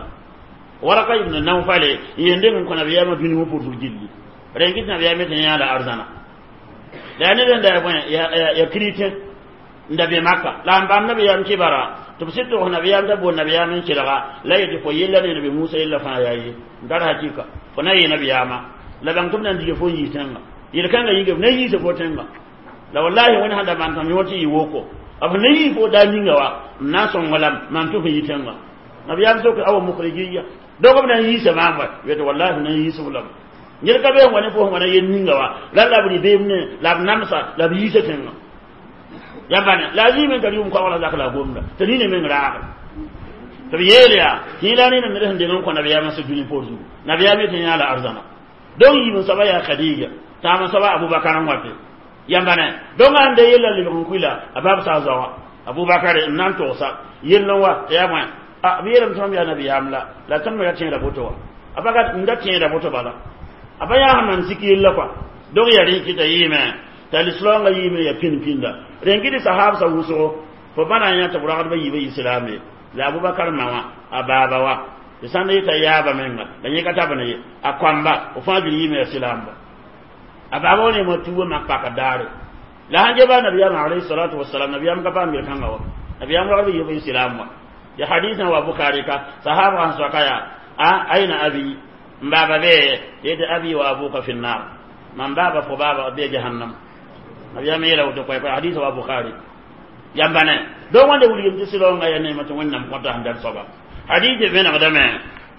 Waraka ibn Nawfal yen deng n kõ nabiyaamã dũni wã pʋrsg gilli rẽn kɩ tɩ nabiyaam tɩ yãa la arzãna la yaa ned n da ya bõe ya chrétien n da be Maka la n bãmb nabiyaam kibara tɩ b sɩd togs nabiyaam t'a bool nabiyaam n kelga la yetɩ fo yella ne nabi Musa yella fãa yaa ye n tar hakika fo na yee nabiyaamã la bãng tɩ b na n dige fo n yiis tẽnga yel-kãngã yĩnga b na yiisa fo tẽnga la wallahi wẽnd sãn da maan tõnd yõor tɩ yɩ woko b na yii fo daa ninga wa n na n sõngo lame maan tɩ fo yi tẽnga nabiyaam sok awa mukhrijiya dog b na n yiisa maam wa yetɩ wallahi f na n yiis f lame ned ka be n wa ne fo sẽn wa na yel ninga wa la la b rɩ beem ne la b namsa la b yiisa tẽnga ya bane la zĩime n tar yʋʋm koagla zak la a gomda tɩ nina meng raagre tɩ b yeel yaa tɩ la nena ned sẽn deng n kõ nabiyaamã sẽn dũni poor zugu nabiyaam yetɩ yã la arzãna donc yiib n soaba yaa Khadija taam n soaba Abubakar n wate yãmba ne donc ãn de yella lebg n kuila a bab sa zaoã Abubakar n na n togsa yell n wa tɩ yaa bõe a b yeelame tɩ mam yaa nabiyaam la la tõnd me ra tẽeda boto wa a pa n da tẽeda boto bala a pa yaa sẽn maan sik yella kɔa donc yaa rẽ kɩta yɩɩme t'a lislaoongã yɩɩme ya pĩnd-pĩnda rẽn kɩ tɩ sahaabsã wʋsgo fo bãna n yã tɩ b ragdbã yiibã islaame la Abubakar ma wã a baaba wa tɩ sãn da yeta yaaba menga la yẽ ka tabne ye a kõamba f fãa bil yɩɩme ya silaamba a baaba wa neemã tuubã mak pakd daare la sãn geba nabiyaamã alayhi salatu wasalam nabiyaam ka paam yel-kãngã wa nabiyaam ragdbã yiibã islaam wa ya hadisã wa Bukhari ka sahaabgã sẽn soaka yaa a aina abi n baaba bee yetɩ abi wa abuka fi nnar mam baaba fo baaba bee jahannam nabiyam yeela woto koɛ koɛ hadisa wa Bukhari yãmba ne donc wãnda wilgem tɩ sɩlaoongã ya neemã tɩ Wẽnnaam kõta sẽn dar soaba hadise vẽnegdame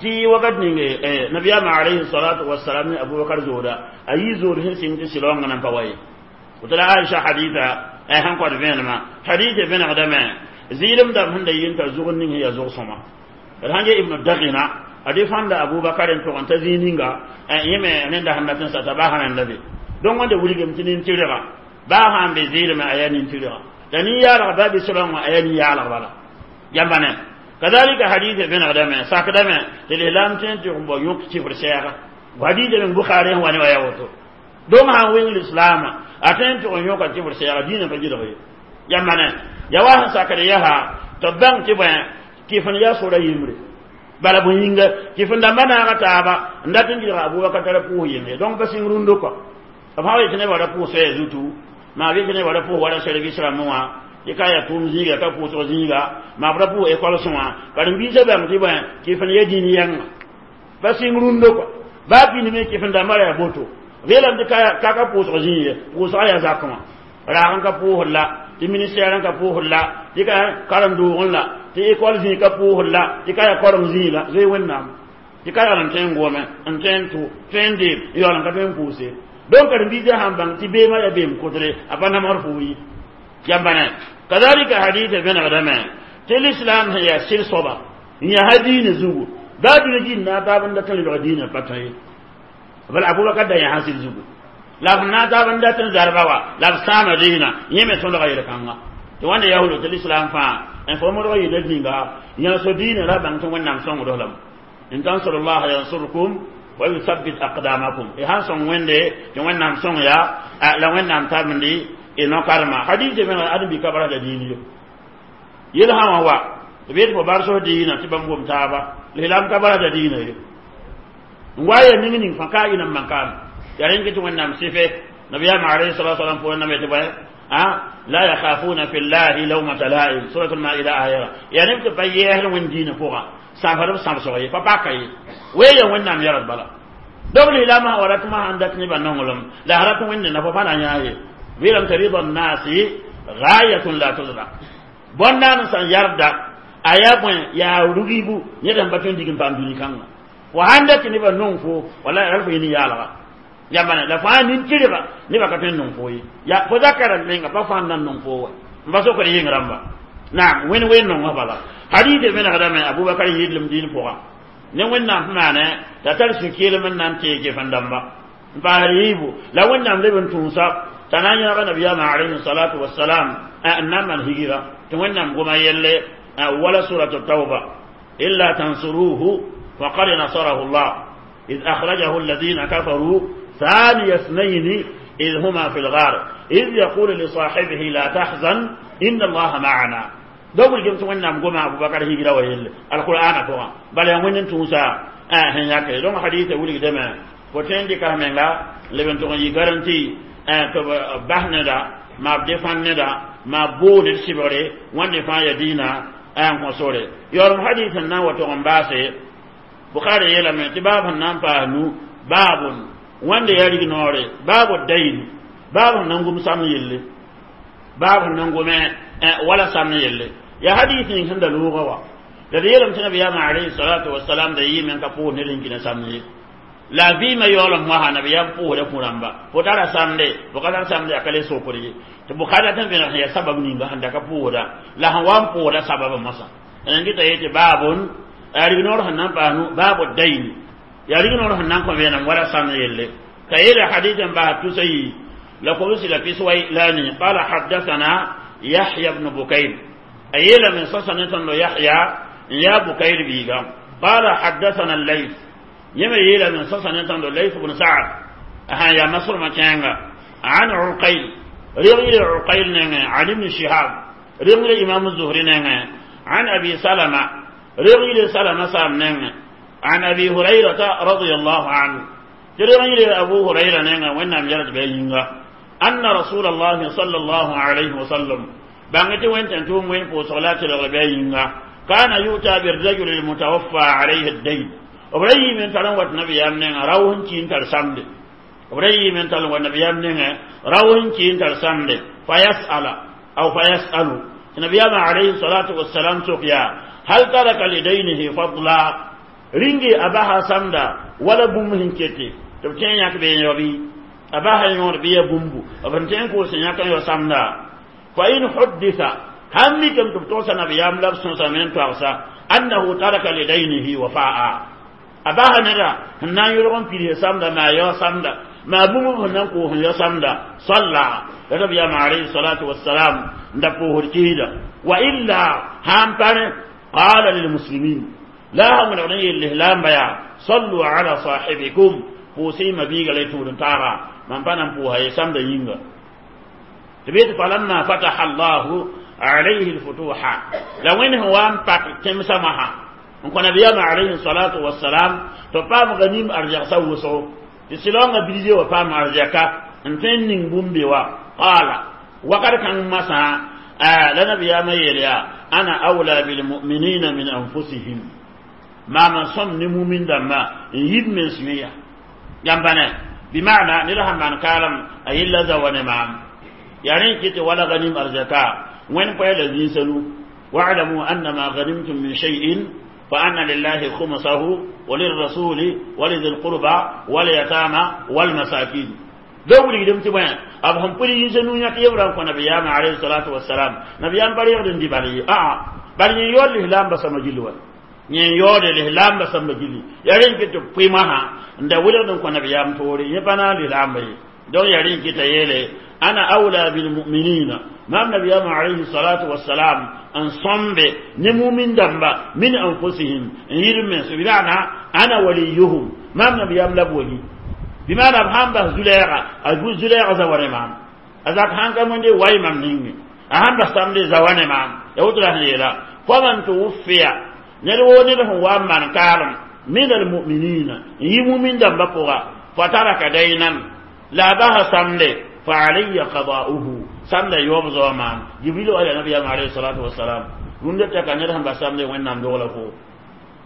tɩ wakat ning nabiyaamã alayhi salatu wasalam ne Abubakar zooda a yɩ zood sẽn sɩng tɩ sɩlaoongã nan pa wa ye woto la Aisha hadisa sẽn kõt vẽenemã hadise vẽnegdame zɩɩlem dãmb sẽn da yɩ n tar zʋgd ning sẽn yaa zʋg-sõma d sãn ge Ibnu Dagina ade fãnda Abubakar n tʋg n ta zĩig ninga yẽ me rẽnda sẽn dat n sa t'a baa sã rẽnda be donc wãnda wilgem tɩ nin-tɩrga baa sã n be zɩɩlmẽ a yaa nin-tɩrga la nin-yaalg baa be sɩlaoongã a yaa nin-yaalg bala yãmba ne kadalika hadise vẽnegdame sakdame tɩ lislaam tõe n tɩg n bao yõk sifr sɛɛga hadise meng Bukhari sẽn wa ne wa yaa woto donc sãn wẽng lislaamã a tõe n tʋg n yõka sifr sɛɛga dĩinã pa gɩlg ye yãmba ne ya wa sẽn sakd yaa tɩ b bãng tɩ bõe kɩf n yaa sora yembre bala bõe yĩnga kɩf n dãmba naaga taaba n dat n gɩlga Abubakar tara pʋʋs yembre donc pa sɩng rũndo kɔ b sã wa yetɩ nebã ra pʋʋs soɛɛ zutu maa b yetɩ nebã ra pʋʋs wala service rãmbẽ wã tɩ ka yaa tʋʋm zĩiga ka pʋʋsg zĩiga maa b ra pʋʋs école wã karen-biisã bãng tɩ bõe kɩf n ya dĩin yɛnga pa sɩng rũndo kɔ baa pĩndme kɩf n dãmba ra yaa boto b yeelame tɩ ka ka pʋʋsg zĩig ye pʋʋsgã yaa zakẽ wã raag n ka pʋʋsd la tɩ ministère n ka pʋʋsd la tɩ ka karen-doogẽ la tɩ école zĩig ka pʋʋsd la tɩ ka yaa koreng zĩig la zoe Wẽnnaam tɩ ka yaool n tõe n gome n tõe n tʋ tõe n deem n yaool n ka tõe n pʋʋse donc karen-biisã sãn bãng tɩ beemã yaa beem kʋtre a pa namsd fo yi yãmba ne kadalika hadisa vẽnegdame tɩ lislaam sẽn yaa sɩd soaba n yaa ha diinã zugu baa dũni gĩnd na a taab n dat n lebg diinã pa tõe ye bala Abubakar da yaa sã sɩd zugu la b na taab n dat n zarba wa la b sãama diinã yẽ me tõdga yel-kãnga tɩ wãnda yaa wolo tɩ lislaam fãa n fo modg yɩla ninga yã so diinã ra bãng tɩ Wẽnnaam sõngd lame in tansuru llaha yansurkum wa yuthabbit aqdamakum y sãn sõng Wẽnde tɩ Wẽnnaam sõng ya la Wẽnnaam tabndi y no-karema hadis vẽneg ãdem-bi ka barasda diin ye yel sã wã wa b yet fo bar sos diinã tɩ bãmb gom taaba lislaam ka barasda diinã ye n wa ya ning ning fãa ka ɩ nan man kaame yaa rẽnd tɩ Wẽnnaam sɩfe nabiyaamã alayhi salatu wasalam pʋʋr name tɩ bõe la yakhafuna fi llahi lawmata laim suratul maida ayra yaa neb tɩ pa yɛɛsd Wẽnd diinã pʋgã sãmsd b sãmsg ye pa paka ye weeya Wẽnnaam yɛgd bala donc lislaamã sã wa ratmã sãn dat nebã nonglem la a rat Wẽnde na fo pa na yã ye weelame tɩ rida nnaasi gayatun la tudrak bõn-naan sã n yarda a yaa bõe yaa rugibu ned sẽn pa tõe n dig n paam dũni kãnga fo sãn dat tɩ nebã nong fo wala ral fo yẽ nin-yaalga yãmba ne la fãa nin-tɩrga nebã ka tõe n nong fo ye ya fo zakã rãmb menga pa fãa n na n nong fo wa n pa sokd yɩng rãmba naam wẽnd wen nongã bala hadise vẽnegdame Abubakar yɩdlem dĩin pʋga ne Wẽnnaam sẽn maane t'a tar sũ-keelem n na n teeg gefẽn dãmba n paasd yiibu la Wẽnnaam leb n tũusa T'a na n yãaga nabiyaamã alayhi salatu wasalam n na n maan higira tɩ wẽnnaam goma yelle wala suratu tauba illa tansuruhu faqad nasarahu llah إذ أخرجه الذين كفروا ثاني اثنين إذ هما في الغار إذ يقول لصاحبه لا تحزن إن الله معنا دوغل جمس وين goma Abu Bakar higira wa yelle alquran ko bala ya wẽnd tũusa sẽn yake donc hadith wilgdame fo tõe n dɩka menga leb n tʋg n yɩ garanti tɩ b bas neda maa b defãn neda maa b bool d sɩbgre wãnde fãa ya dĩinã n kõ sore yaoolem hadith n na n wa tʋg n baase Bukhari yeelame tɩ baab sẽn na n paas nu baabun wãnde yaa rig-noore baabu dayn baab sẽn na n gom sam yelle baab sẽn na n gome wala sam yelle ya hadith ning sẽn da loogã wa la d yeelame tɩ nabiyaamã alayhi salatu wasalam da yɩɩme n ka pʋʋs ned n kĩna samd ye la vɩɩmã yaoolem wãsa nabiyaam pʋʋsda kũ-rãmba fo tara samde fo ka tar samde a ka le sokd ye tɩ Bukhari tɩ n vẽneg sẽn yaa sabab ninga sẽn da ka pʋʋsda la sẽn wa n pʋʋsda sababã mosã n gɩta yetɩ baabun yaa rig-noor sẽn na n paas nu baabu dayn yaa rig-noor sẽn na n kõ vẽenem wala samd yelle ka yeele hadith n bas tusa yi la kobsi la piswai la ni qala haddathana Yahya ibn Bukayr a yeelame sasa ne tõndo Yahya n yaa Bukayr biiga qala haddathana al-Layth yẽme yeelame sasa ne tõndo Layth ibn Sa'd sã yaa masrmã kẽenga an Uqayl reg yɩle Uqayl nengẽ an Ibn Shihab reg yɩle Imam Zuhri nengẽ an Abi Salama reg yɩle Salama saam nengẽ an Abi Hurayrata radiyallahu anhu tɩ reg yɩle Abu Hurayra nengẽ Wẽnnaam yɛl tɩ bɩ a yĩnga anna رسول الله صلى الله عليه وسلم bãng tɩ wẽn tẽn tʋʋm wẽn pʋʋsg la tɩlg bɩ a yĩnga كان يؤتى بالرجل المتوفى عليه الدين b ra yiime n tar n wat nabiyaam nengã rao sẽn ki n tar samde b ra yiime n tar n wa nabiyaam nengẽ rao sẽn ki n tar samde fayasala aw fayasalu tɩ nabiyaamã alayhi salatu wasalam sok yaa hal taraka lidaynihi fadla ringe a basa samda wala bũmb sẽn kete tɩ b tẽ n yãk bee yõ bɩ a basa yõod bɩ ya bũmbu b sẽn tẽ n kʋʋs sẽn yãk n yao samda fa in huddisa sãn mikame tɩ b togsa nabiyaam la b sõsame n toagsa annahu taraka lidaynihi wafa'a a basa neda sẽn na n yʋlg n pids samda maa yao samda maa bũmb sẽn na n koos n yao samda salla la nabiyaam alayhi salatu wassalam n da pʋʋsd kiisda wa illa sãn pa rẽ qala lilmuslimin la sã wẽnegd n yeel lislaamba yaa sallu ala sahibikum pʋʋsɩ y mabiiga la y tũud n taaga mam pa na n pʋʋsa ye samda yĩnga tɩ bɩ tɩ falamma fataha allahu alayhi lfutuha la wẽnd sẽn wa n pak tẽmsã masã n kõ nabiyaamã alayhi salatu wasalam tɩ paam ganim arzɛgsa wʋsgo tɩ sɩlaoongã bilge wa paam arzɛka n tõe n ning bũmb be wa qaala wakat kãng masã la nabiyaamã yeel yaa ana awla bilmuminina min anfusihim maam n sõm ne mumin dãmbã n yib mens yẽ yãmba ne bimana ned sãn maan kaalem a yella zawa ne maam yaa rẽ kɩ tɩ wala ganim arzɛka wẽnd poɛ la zĩnsã nu wa'lamu annama ghanimtum min shay'in fa anna lillahi khumsahu وللرسول ولذي القربى واليتامى والمساكين do wulgdem tɩ bõe b sẽn pʋd yĩnsa nu yãk yebra n kõ nabiyaamã alayhi salatu wasalam nabiyaam pa reegd n dɩ bal ye aa bal yẽ yaood lislaambã sãmba gilli wa yẽ yaoode lislaambã sãmba gilli yaa rẽ n kɩ tɩ pʋɩmasã n da wilgd n kõ nabiyaam toore yẽ pa na n lislaamba ye donc yaa rẽ n kɩta yeele ana awla bilmuminina maam nabiyaamã alayhi salatu wasalam n sõmbe ne mumin dãmba min anfusihim n yɩl mens bimana ana waliyuhum maam nabiyaam la b wali bimana b sãn bas zulɛɛga a zulɛɛga zawa ne maam a zak sãn ka wẽnde way mam ninge a sãn bas samde zawa ne maam ya woto la sẽn yeela faman tuwuffiya ned woo ned sẽn wa n maan kaalem min almuminina n yi mumin dãmbã pʋga fataraka daynan la a basa samde fa alayya qada'uhu samda yoob zoa maam Jibril wala nabiyam alayhi salatu wassalam rũndã taka ned sẽn bas samde Wẽnnaam dogla fo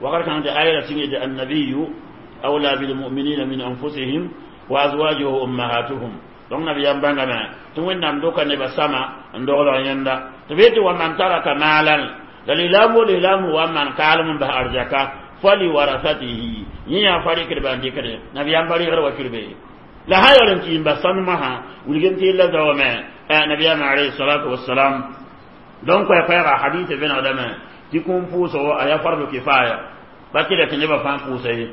wakat kãng tɩ aya la sɩngde annabiyu awla bilmuminina min anfusihim wa azwajuhu ummahatuhum donc nabiyam bãngame tɩ Wẽnnaam doka nebã sama n dogl yẽnda tɩ bee tɩ wa man taraka maalan la lislaam wo lislaam wa n maan kaalem n bas arzaka fali warasatihi yẽ yaa fa rɩkdba n dɩkde nabiyam pa rɩgd wa kirbe la sã yaool n tɩ n bas sãnmãsã wilgem tɩ yella zaoome nabiyaam alayhi salatu wassalam donc koɛ-koɛɛga hadith vẽnegdame tɩ kũum pʋʋsgo a yaa fardu kifaya ba tɩ la tɩ nebã fãa pʋʋsa ye.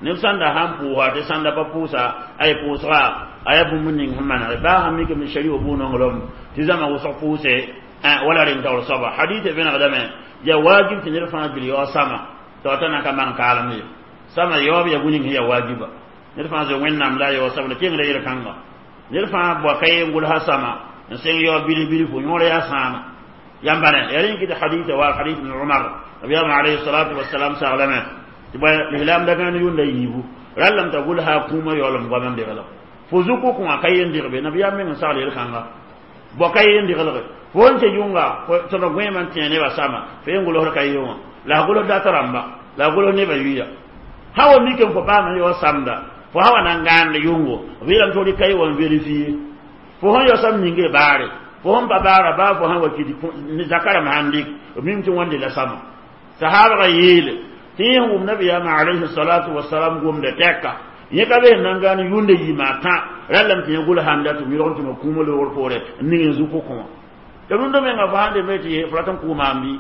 Neb sãn da sãn pʋʋsa tɩ sãnda pa pʋʋsa ay pʋʋsga a yaa bũmb ning sẽn maneg baa sãn mikame shari wa bʋ-nonglem tɩ zãma wʋsg pʋʋse wala rẽn taoor soaba hadith vẽnegdame yaa wajib tɩ ned fãa gil yaoog sama tɩ wa ta na ka maan kaalem ye sama yaoob yaa bũ-ning sẽn yaa wajiba ned fãa zoe wẽnnaam la a yaoog sama la kengra yel-kãnga ned fãa boa ka ye n gʋlsa sama n sẽng yaoog bilf bilfu yõor yaa sãama yãmba ne yaa rẽn kɩ hadith wa hadith ibn Umar nabiyam alayhi salatu wassalam saglame tɩ bõe lislaam da gãan yʋnda yiibu rallame t'a gʋlsa kũumã yaoolem goam n degla fo zuku kõ a ka yen degbe nabiyaam meng n sagl yel-kãnga bo ka yen degelge fo n tɩ yʋnga tõd gõeemã n tẽ nebã sama fo yen gʋlsd ka ye wã la a gʋls dat rãmba la a gʋls nebã yuya sã wa mikame fo paam n yaoog samda fo sã wa na n gãand yʋngo b yeelame tɩ fo rɩk ka ye wa n vérifier fo sẽn yao sam ninge baare fo sẽn pa baara baa fo sã wa kɩt zaka rãmb sãn dɩk b mim tɩ wãnde la sama sahabga yeele tɩ yẽ wʋm nabiyaamã alayhi salatu wasalam gomda tɛka yẽ ka be sẽn na n gãan yʋnda yɩɩma tã rallame tɩ yẽ gʋls sãn dat tɩ yõg n tɩ ma kũumã loogr poore n ning n zuku kõ wã tɩ rũndã menga fo sãn dembe tɩ fo rat n kʋʋ maam bɩ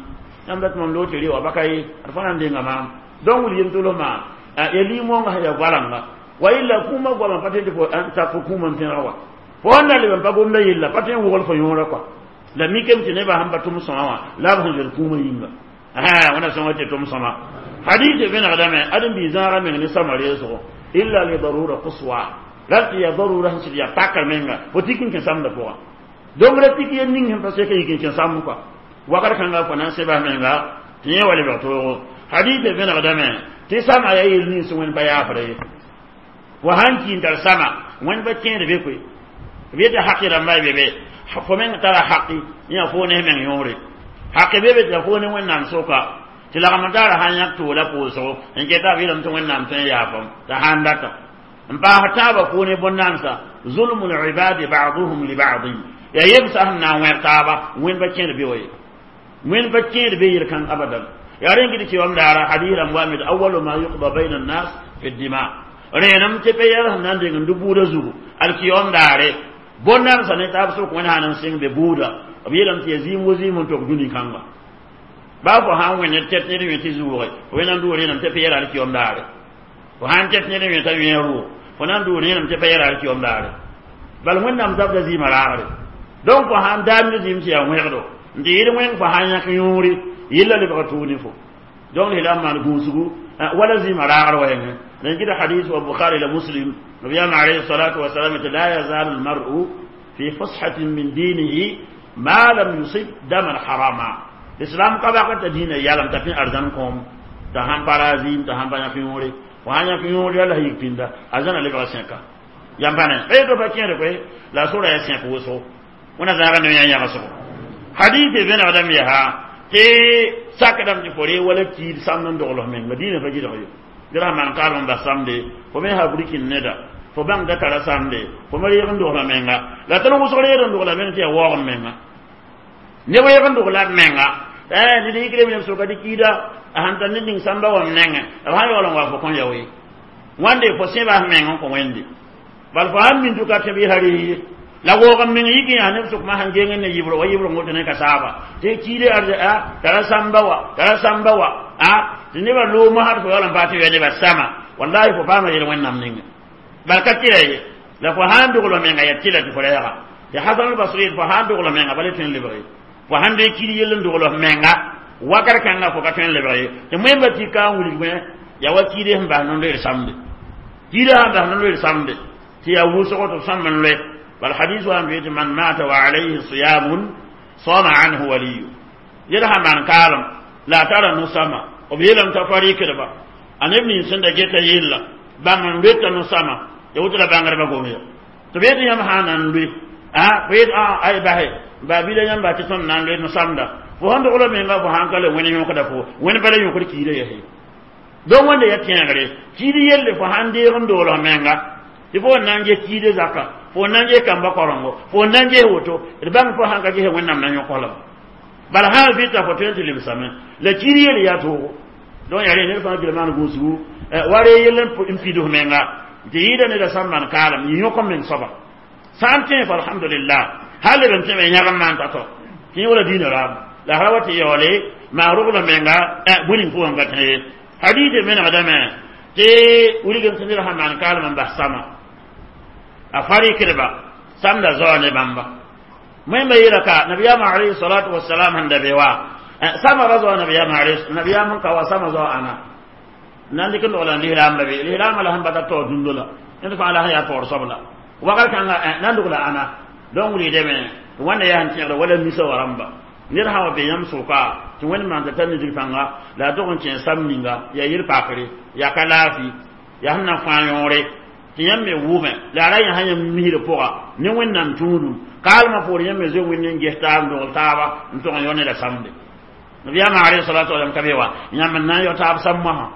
yãmb dat mam loog tɩ re wa baka ye d fo na n denga maam donc wil yem tʋls maa ya lig-moongã sẽn yaa goalãnga wa illa kũumã goamã pa tɩ fo tak fo kũumã n pẽg wa fo sẽn na leb n pa gomda yella pa tɩ n wogl fo yõorã kɔa la mikame tɩ nebã sẽn pa tʋm sõma wã la b sẽn zoet kũumã yĩnga wẽna sõnga tɩ tʋm sõma hadith vẽnegdame ãdem-biig zãagã meng ne sama reesgo illa li darura quswa ral tɩ yaa darura sẽn sɩd yaa pakr menga fo tik n kẽ samdã pʋgã donc ra tik yen ning sẽn pa sek n yik n kẽ samd kɔa wakat kãnga fo na n sebas menga tɩ yẽ wa lebg toogo hadith vẽnegdame tɩ sama yaa yel nins wẽnd pa yaafra ye fo sãn ki n tar sama wẽnd pa kẽed be koe b yetɩ haqi rãmba y be be fo meng tara haqi yã fo ne meng yõore haqi be be tɩ fo ne wẽnnaam soka tɩ lagm taara sãn yãk toola pʋʋsgo n keta b yeelame tɩ wẽnnaam tõe n yaafam t'a sãn data n paas taaba fo ne bõn-namsa zulmu libadi ba'duhum li ba'din yaa yemsa sẽn na n wẽg taaba wẽnd pa kẽed be wa ye wẽnd pa kẽed be yel-kãng abadan yaa rẽn kɩ tɩ kɩwam daara hadis rãmb wa me awalu ma yuqda bayna annas fi dima rẽenem tɩ pa yɛl sẽn na n deng n dʋ buudã zugu alkiyom daare bõn-namsa ne taab sʋk wẽnd sãn n sɩng be buuda b yeelame tɩ yaa zĩim wo zĩim n tok dũni kãnga baa fo sãn wẽnd tɛt ned wẽ tɩ zuuge fo wẽnnaam dʋʋg rẽenam tɩ pa yɛl alkiyom daare fo sãn tɛt ned wẽ t'a wẽ rʋʋg fo na n dʋʋg rẽenam tɩ pa yɛl alkiyom daare bal wẽnnaam zabda zĩimã raagre donc fo sãn daam ne zĩim tɩ yaa wẽgdo n tɩ yɩl wẽng fo sãn yãk yõore yella lebga tʋʋg ne fo donc lislaam maan gũusgu wala zĩimã raagr wa yẽngẽ la kɩta hadis wa bukhari la muslim nabiyam alayhi salatu wasalam tɩ la yazalu almar'u fi fushatin min dinihi ma lam yusib daman harama l'islam ka baka t'a dĩinã yalem t'a pẽ arzãn kõom t'a sãn pa ra zĩim t'a sãn pa yãk yõore fo sãn yãk yõore la yik pĩnda arzãna lebga sẽka yãmb pa ne pa pa kẽed koe la a sora yaa sẽk wʋsgo wẽna zãaga ne yã yãgsgo hadith vẽnegdame yaa tɩ sakdame tɩ fo ree wala kiid samd n dogls menga dĩinã pa gɩdg yo dɩ ra maan kaalem n bas samde fo me ha burkin neda fo bãng da tara samde fo me reeg n dogla menga la tɩ wʋsg reeg n dogla meng tɩ yaa waoog n menga neb reeg n dogla b menga ned yikre neb soka dɩ kiida a sãn tar ned ning sãmba wam nengẽ b sãn yaool n wa fo kõn yao ye wãnde fo sẽbas meng n kõ wẽnde bal fo sãn min tʋka tɩ b yɩsa res ye la woog n meng yik yaa neb sʋkmã sãn geng ne yɩbr wa yɩbr woto ne ka saaba tɩ kiide arze a tara sãmba wa tara sãmba wa a tɩ nebã loomã had fo yaool n paam tɩ ya nebã sama wallahi fo paama yel wẽnnaam ninga bal ka tɩra ye la fo sãn dogl menga yaa tɩla tɩ fo reega tɩ hasan al-basri fo sãn dogl menga bala tõe n lebg ye fo sãn dee kiid yell n dogl menga wakat kãnga fo ka tõe n lebg ye tɩ wẽmba tɩ ka n wilg yaa wa kiide sẽn bas nondo d samde kiide sãn bas nondo d samde tɩ yaa wʋsgo tɩ b sãmb n loe bal hadis wa n tɩ man mata wa alayhi siyamun sama anhu waliyu yel sã maan kaalem la a tara no-sama b yeelame t'a fa rɩkdba a neb nins sẽn da geta yella bãmb n loeta no-sama ya woto la bãngdbã gomya tɩ b yetɩ yãmb sã n na n loe a fo yet ay base baabila yãmba tɩ tõnd na n loe no-samda fo sẽn dogl menga fo sãn ka le wẽnd yõkda fo wẽnd bala yõkd kiida yɛse donc wẽnda ya tẽegre kiid yelle fo sãn deeg n dogl menga tɩ fo n na n ges kiide zaka fo n na n ges kamba korengo fo n na n ges woto d bãng fo sãn ka ges wẽnnaam na yõk lame bala sãn vɩta fo tõe n tɩ lebsame la kiid yelle yaa toogo donc yaa rẽ ned fãa gil maan gũusgu wa ree yell n pid f menga tɩ yɩɩda neda sã n maan kaalem yɩ yõk n meng soaba sã n tẽ fo alhamdulillah hal leb n tẽ me yãg n maan t'a tɔ tɩ yẽ wala dĩinã raam la ra wa tɩ yaoole maa rogl menga bũning pʋgẽ ka tẽ ye hadith menegdame Tɩ wilgem tɩ ned sãn maan kaalem n bas sama a fa rɩkdba samda zao ne bãmba. Wẽmba yeela ka nabiyaamã alayhi salatu wasalam sẽn da be wa sama ra zoa nabiyaamã nabiyaam n ka wa sama zao ãna nan dɩk n dogla n lislaamba be lislaambã la sẽn bata taoor dũndo la ned fãa la sẽn yaa taoor soabla wakat kãnga nan dogla ãna donc wilgdame tɩ wãnda yaa sẽn tẽegda wala misa wa rãmba. Ned sã wa be yãmb sʋka tɩ wẽnd maan t'a tar nidg pãnga la a tog n kẽ sam ninga yaa yel-pakre yaa ka laafɩ yaa sẽn na fãa yõore tɩ yãmb me wʋme la a ra yã sã yãmb misrã pʋga ne wẽnnaam tũudum kaalmã poor yãmb me zoe wẽnd n ges taab n dogl taaba n tog n yõ ne la samde. Nabiyaamã alayhi salatu wasalam ka be wa yãmb n na n yao taab sam moasã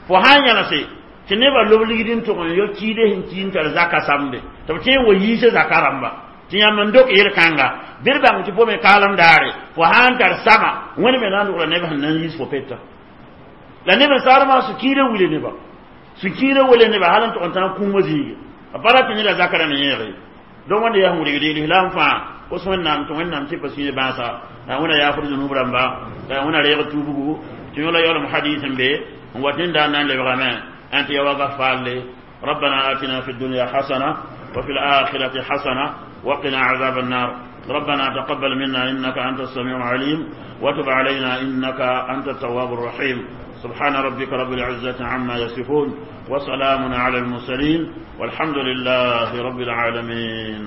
fo sã n yãlse tɩ nebã lob ligd n tog n yõ kiide sẽn ki n tar zaka samde tɩ b tẽ n wa yiisa zaka rãmba tɩ yãmb n dok yel-kãnga bɩ d bãng tɩ fo me kaalem daare fo sã n tar sama wẽnd me na n dogla neb sẽn na n yiis fo peta la neb n saarmã sũ-kiirã wile neba sũ-kiirã wele neba hal n tog n tãag kũumã zĩige a pa ra tɩ neda zaka rãmb yẽege. Donc wẽnda yaa sẽn wilgd lislaam fãa kos wẽnnaam tɩ wẽnnaam tɩ pa sũyã bãasa wẽna yaafd zunub rãmba wẽna reeg tuubgu tɩ yõ la yaoolem hadis n be n wat ned n na n lebgame n tɩ ya wakat faalle. ربنا آتنا في الدنيا حسنة وفي الآخرة حسنة وقنا عذاب النار. ربنا تقبل منا إنك أنت السميع العليم وتب علينا إنك أنت التواب الرحيم. سبحان ربك رب العزة عما يصفون وسلام على المرسلين والحمد لله رب العالمين.